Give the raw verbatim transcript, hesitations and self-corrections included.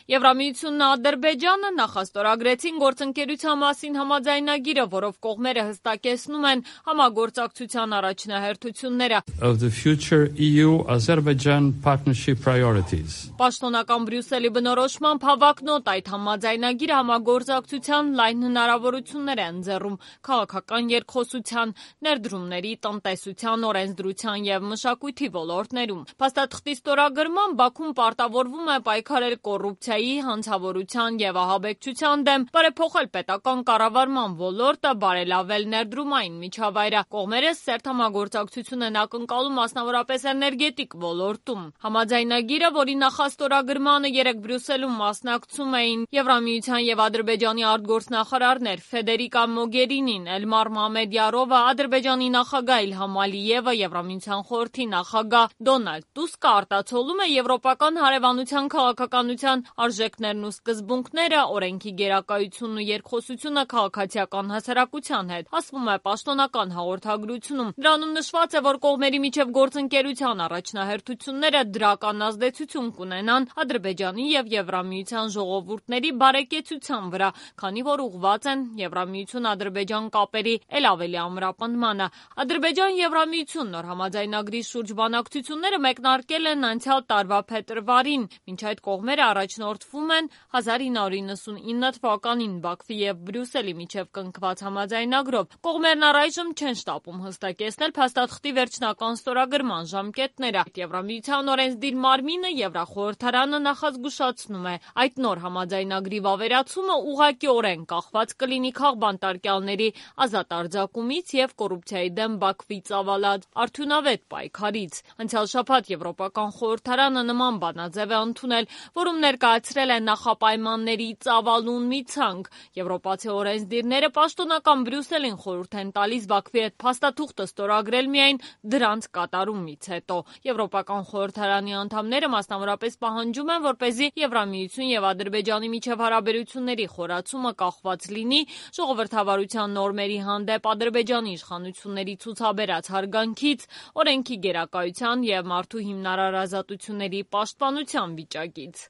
Եվրամիությունն ու Ադրբեջանը նախաստորագրեցին գործընկերության մասին համաձայնագիրը, որով կողմերը հստակեցնում են համագործակցության առաջնահերթությունները։ Of the future E U-Azerbaijan partnership priorities. Պաշտոնական Բրյուսելի բնորոշմամբ հավակնոտ այդ համաձայնագիրը համագործակցության լայն հնարավորություններ է ընձեռում քաղաքական երկխոսության, ներդրումների, տնտեսության, օրենսդրության և մշակույթի ոլորտներում։ Փաստաթղթի ստորագրմամբ Բաքուն պարտավորվում է պայքարել կոռուպցիայի, հանցավորության և ահաբեկչության դեմ, բարեփոխել պետական կառավարման ոլորտը, բարելավել ներդրումային միջավայրը։ Կողմերը սերտ համագործակցություն են ակնկալում մասնավորապես էներգետիկ ոլորտում։ Համաձայնագիրը, որի նախաստորագրմանը երեկ Բրյուսելում մասնակցում էին Եվրամիության և Ադրբեջանի արտգործնախարարներ Ֆեդերիկա Մոգերինին, Էլմար Մամեդյարովը, Ադրբեջանի նախագահ Իլհամ Ալիևը, Եվրամիության խորհրդի նախագահ Դոնալդ Տուսկը արտացոլում է եվրոպական հարևանության քաղաքականության արժեքներն ու սկզբունքները, օրենքի գերակայությունն ու երկխոսությունը քաղաքացիական հասարակության հետ, ասվում է պաշտոնական հաղորդագրությունում։ Դրանում նշված է, որ կողմերի միջև գործընկերության առաջնահերթությունները դրական ազդեցություն կունենան Ադրբեջանի և Եվրամիության ժողովուրդների բարեկեցության վրա, քանի որ ուղղված են Եվրամիություն-Ադրբեջան կապերի էլ ավելի ամրապնդմանը։ Ադրբեջան-Եվրամիություն նոր համաձայնագրի շուրջ բանակցությունները մեկնարկել են անցյալ տարվա փետրվարին։ Մինչ այդ կողմերը առաջնորդվում են հազար ինը հարյուր իննսունինը թվականին Բաքվի և Բրյուսելի միջև կնքված համաձայնագրով։ Կողմերն առայժմ չեն շտապում հստակեցնել փաստաթղթի վերջնական ստորագրման ժամկետները։ Եվրամիության օրենսդիր մարմինը Եվրախորհրդարանը նախազգուշացնում է, այդ նոր համաձայնագրի վավերացումը ուղղակիորեն կախված կլինի քաղբանտարկյալների ազատ արձակումից և կոռուպցիայի դեմ Բաքվի ծավալած արդյունավետ պայքարից։ Անցյալ շաբաթ Եվրոպական խորհրդարանը նման բանաձև է ընդունել, որում ներկայացրել է նախապայմանների ծավալուն մի ցանկ։ Եվրոպացի օրենսդիրները պաշտոնական Բրյուսելին խորհուրդ են տալիս Բաքվի հետ փաստաթուղթը ստորագրել միայն դրանց կատարումից հետո։ Եվրոպական խորհրդարանի անդամները մասնավորապես պահանջում են, որպեսզի Եվրամիություն և Ադրբեջանի միջև հարաբերությունների խորացումը կախված լինի ժողովրդավարության նորմերի հանդեպ Ադրբեջանի իշխանությունների ցուցաբերած հարգանքից, օրենքի գերակայության և մարդու հիմնարար ազատությունների պաշտպանության վիճակից։